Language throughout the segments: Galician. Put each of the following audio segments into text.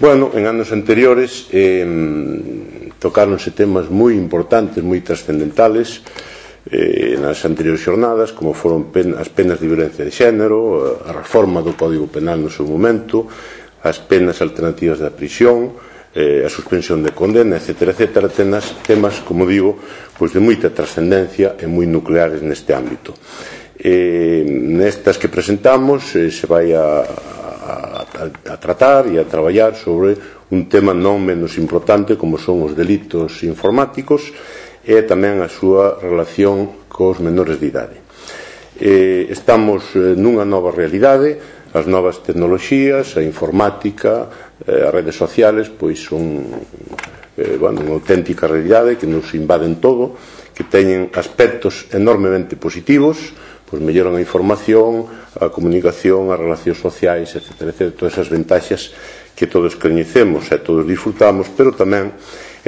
Bueno, en anos anteriores tocáronse temas moi importantes, moi trascendentales nas anteriores xornadas, como foron as penas de violencia de xénero, a reforma do Código Penal no seu momento, as penas alternativas da prisión, a suspensión de condena, etc. Temas, como digo, de moita trascendencia e moi nucleares neste ámbito. Nestas que presentamos se vai a tratar e a traballar sobre un tema non menos importante como son os delitos informáticos e tamén a súa relación cos menores de idade. Estamos nunha nova realidade, as novas tecnoloxías, a informática, as redes sociales, son unha auténtica realidade que nos invaden todo, que teñen aspectos enormemente positivos, melloran a información, a comunicación, as relacións sociais, etc. Todas esas ventaxas que todos coñecemos e todos disfrutamos, pero tamén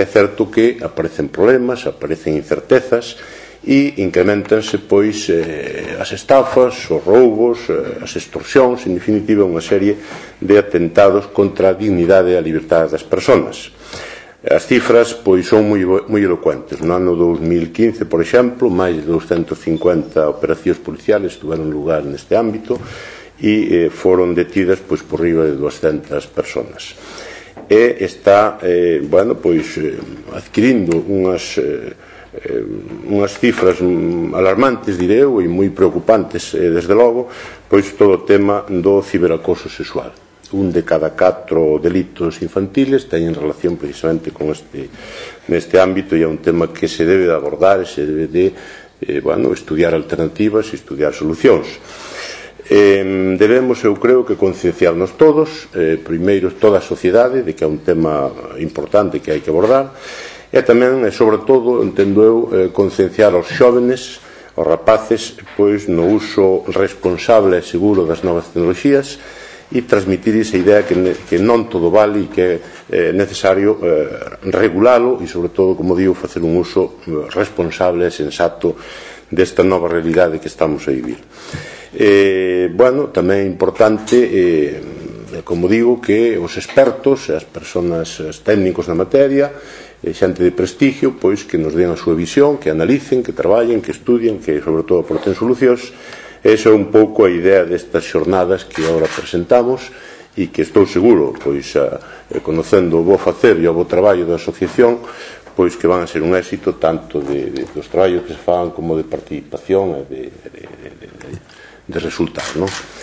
é certo que aparecen problemas, aparecen incertezas e incrementanse as estafas, os roubos, as extorsións, en definitiva unha serie de atentados contra a dignidade e a liberdade das persoas. As cifras son moi elocuentes. No ano 2015, por exemplo, máis de 250 operacións policiales estiveron lugar neste ámbito e foron detidas por riba de 200 persoas. E está adquirindo unhas cifras alarmantes, direi eu, e moi preocupantes, desde logo, todo o tema do ciberacoso sexual. Un de cada 4 delitos infantiles teñen relación precisamente con neste ámbito e é un tema que se debe de abordar e se debe de estudiar alternativas e estudiar solucións. Debemos, eu creo, que concienciarnos todos, primeiro toda a sociedade, de que é un tema importante que hai que abordar, e tamén, e sobre todo, entendo eu, concienciar aos xóvenes, aos rapaces, no uso responsable e seguro das novas tecnoloxías e transmitir esa idea que non todo vale e que é necesario regulalo e, sobre todo, como digo, facer un uso responsable e sensato desta nova realidade que estamos a vivir. Tamén é importante, como digo, que os expertos, as persoas, os técnicos na materia, xente de prestigio, que nos den a súa visión, que analicen, que traballen, que estudien, que, sobre todo, aporten solucións. Esa é un pouco a idea destas xornadas que agora presentamos e que estou seguro, conocendo o bo facer e o bo traballo da asociación, que van a ser un éxito tanto dos traballos que se fan como de participación e de resultados.